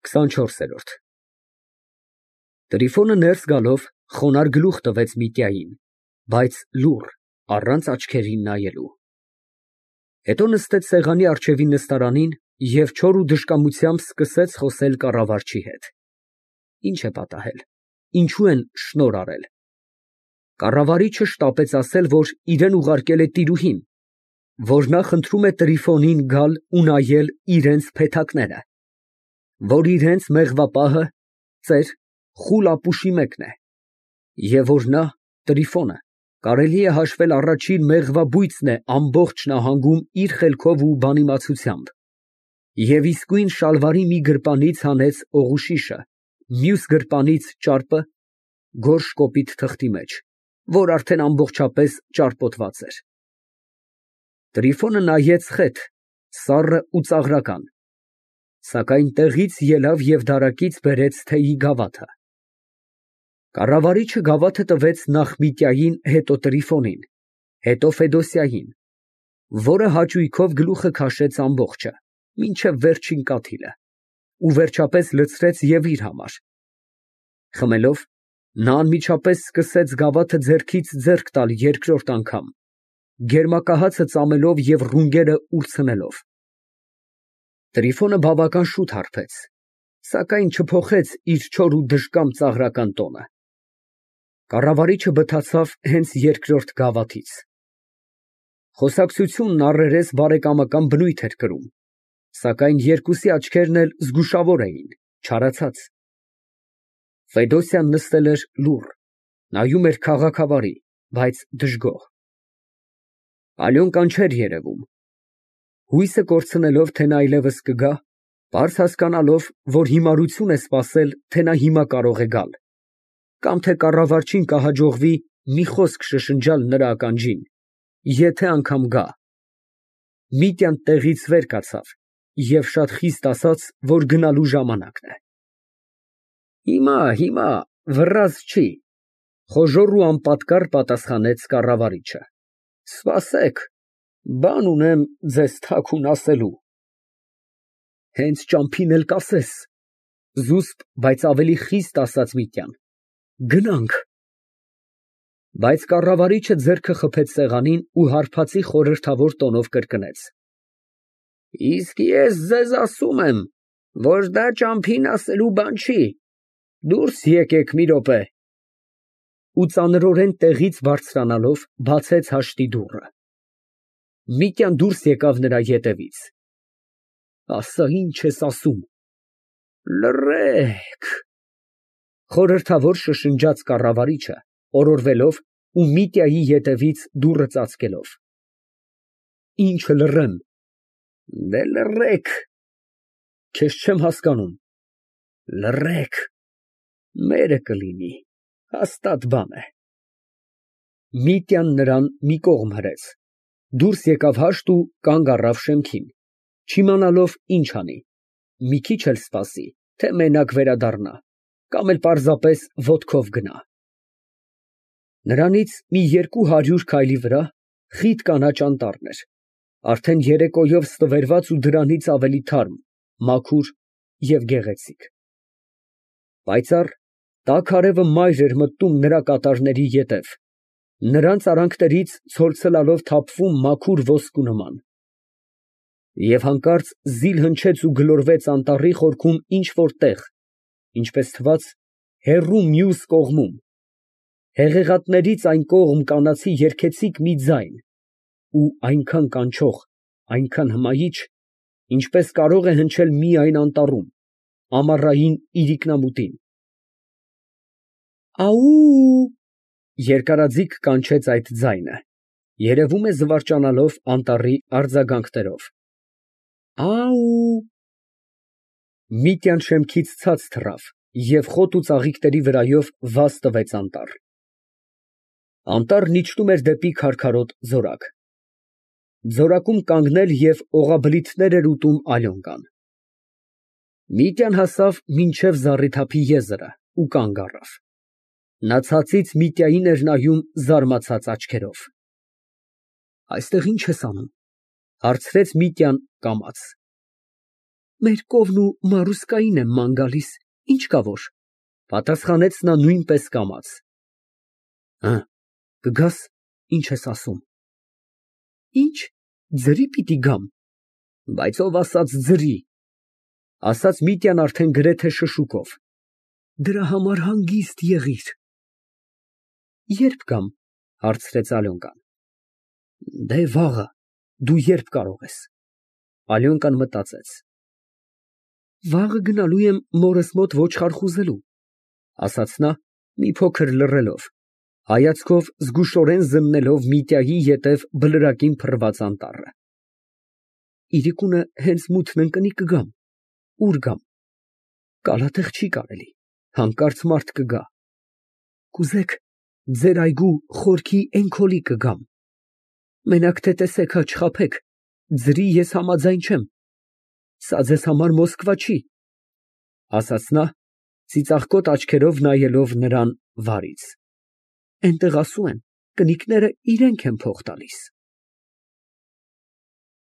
24։ Տրիֆոնը ներս գալով խոնարհ գլուխ տվեց Միտյային, բայց լուռ, առանց աչքերին նայելու։ Հետո նստեց սեղանի առջևի նստարանին և չոր ու դժկամությամբ սկսեց խոսել կառավարչի հետ։ Ինչ է պատահել, ինչու են շնորհ արել։ Կառավարիչը շտապեց ասել, որ իրան ուղարկել է տիրուհին, որ նա խնդրում է Տրիֆոնին գալ ու նայել իրենց փեթակները, որ իրենց մեղվապահը ծեր խուլ ապուշի մեկն է, և որ նա, Տրիֆոնը, կարելի է հաշվել առաջին մեղվաբույծն է ամբողջ նահանգում իր խելքով ու բանիմացությամբ, և իսկույն շալվարի մի գրպանից հանեց օղուշիշը, մյուս գրպանից ճարպը, գորշ կոպիտ թղթի մեջ, որ արդեն ամբողջապես ճարպոտված էր։ Տրիֆոնը նայեց խեթ, սառը ու ծաղրական, սակայն տեղից ելավ և դարակից բերեց թեյի գավաթը։ Կառավարիչը գավաթը տվեց նախ Միտյային, հետո Տրիֆոնին, հետո Ֆեդոսյային, որը հաճույքով գլուխը քաշեց ամբողջը, մինչև վերջին կաթիլը, ու վերջապես լցրեց և իր համար։ Խմելով, նա անմիջապես սկսեց գավաթը ձեռքից ձեռք տալ երկրորդ անգամ, գերմակահացը ծամելով և ռունգերը ուրցնելով։ Տրիֆոնը բավական շուտ հարբեց, սակայն չփոխեց իր չոր ու դժկամ ծաղրական տոնը։ Կառավարիչը բթացավ հենց երկրորդ գավաթից։ Խոսակցությունն առերես բարեկամական բնույթ էր կրում, սակայն երկուսի աչքերն էլ զգուշավոր էին, չարացած։ Ֆեդոսյան նստել էր լուռ, նայում էր քաղաքավարի, բայց դժգոհ։ Ալյոնկան չէր երևում։ Հույսը կորցնելով, թե նա այլևս կգա, պարզ հասկանալով, որ հիմարություն է սպասել, թե նա հիմա կարող է գալ, կամ թե կառավարչին կհաջողվի մի խոսք շշնջալ նրա ականջին, եթե անգամ գա, Միտյան տեղից վեր կացավ և շատ խիստ ասաց, որ գնալու ժամանակն է։ Հիմա, վռազ չի, խոժոռ ու անպատկառ պատասխանեց կառավարիչը։ Սպասեք, բան ունեմ ձեզ թաքուն ասելու։ Հենց ճամփին էլ կասես, զուսպ, բայց ավելի խիստ ասաց Միտյան։ Գնանք։ Բայց կառավարիչը ձեռքը խփեց սեղանին ու հարբածի խորհրդավոր տոնով կրկնեց. Իսկ ես ձեզ ասում եմ, որ դա ճամփին ասելու բան չի, դուրս եկեք մի րոպե։ Ու ծանրորեն տեղից բարձրանալով, բացեց հաշտի դուռը։ Միտյան դուրս եկավ նրա ետևից։ Ասա, ինչ ես ասում։ Լռեք։ Խորհրդավոր շշնջաց կառավարիչը, օրորվելով ու Միտյայի ետևից դուռը ծածկելով։ Ինչը լռեմ։ Դե լռեք։ Քեզ չեմ հասկանում։ Լռեք։ Մերը կլինի, հաստատ բան է։ Միտյան նրան մի կողմ հրեց, դուրս եկավ հաշտ ու կանգ առավ շեմքին, չիմանալով ինչ անի, մի քիչ էլ սպասի, թե մենակ վերադառնա, կամ էլ պարզապես ոտքով գնա։ Նրանից մի 200 քայլի վրա խիտ կանաչ անտառն էր, արդեն երեկոյով ստվերված ու դրանից ավելի թարմ, մաքուր և գեղեցիկ։ Պայծառ, տաք արևը մայր էր մտնում նրա կատարների ետև, նրանց արանքներից ցոլցլալով թափվում մաքուր ոսկու նման։ Եվ հանկարծ զիլ հնչեց ու գլորվեց անտառի խորքում ինչ֊որ տեղ, ինչպես թվաց, հեռու մյուս կողմում, հեղեղատներից այն կողմ կանացի երգեցիկ մի ձայն, ու այնքան կանչող, այնքան հմայիչ, ինչպես կարող է հնչել միայն անտառում, ամառային իրիկնամուտին։ Աուուու… Երկարաձիգ կանչեց այդ ձայնը, երևում է զվարճանալով անտառի արձագանքներով։ Աուուու… Միտյան շեմքից ցած թռավ և խոտ ու ծաղիկների վրայով վազ տվեց անտառ։ Անտառն իջնում էր դեպի քարքարոտ ձորակ։ Ձորակում կանգնել և օղաբլիթներ էր ուտում Ալյոնկան։ Միտյան հասավ մինչև զառիթափի եզրը ու կանգ առավ։ Նա ցածից Միտյային էր նայում զարմացած աչքերով։ Այստեղ ի՞նչ ես անում, ֊ հարցրեց Միտյան կամաց։ Մեր կովն ու Մարուսկային եմ ման գալիս, ինչ կա որ, պատասխանեց նա նույնպես կամաց։ Կգաս, ինչ ես ասում։ Ինչ, ձրի պիտի գամ։ Բայց ով ասաց ձրի, ասաց Միտյան արդեն գրեթե շշուկով։ Դրա համար հանգիստ եղիր։ Երբ գամ, հարցրեց Ալյոնկան։ Դե վաղը, դու երբ կարող ես։ Ալյոնկան մտածեց։ Վաղը գնալու եմ մորս մոտ ոչխար խուզելու, ասաց նա, մի փոքր լռելով, հայացքով զգուշորեն զննելով Միտյայի ետև բլրակին փռված անտառը։ Իրիկունը հենց մութն ընկնի կգամ։ Ուր գամ։ Կալատեղ չի կարելի, հանկարծ մարդ կգա։ Կուզեք, ձեր այգու խորքի էնքոլի կգամ։ Մենակ թե տեսեք հա չխաբեք, ձրի ես համաձայն չեմ։ Սա ձեզ համար Մոսկվա չի, ասաց նա, ծիծաղկոտ աչքերով նայելով նրան վարից։ Էնտեղ ասում են, կնիկները իրենք են փող տալիս։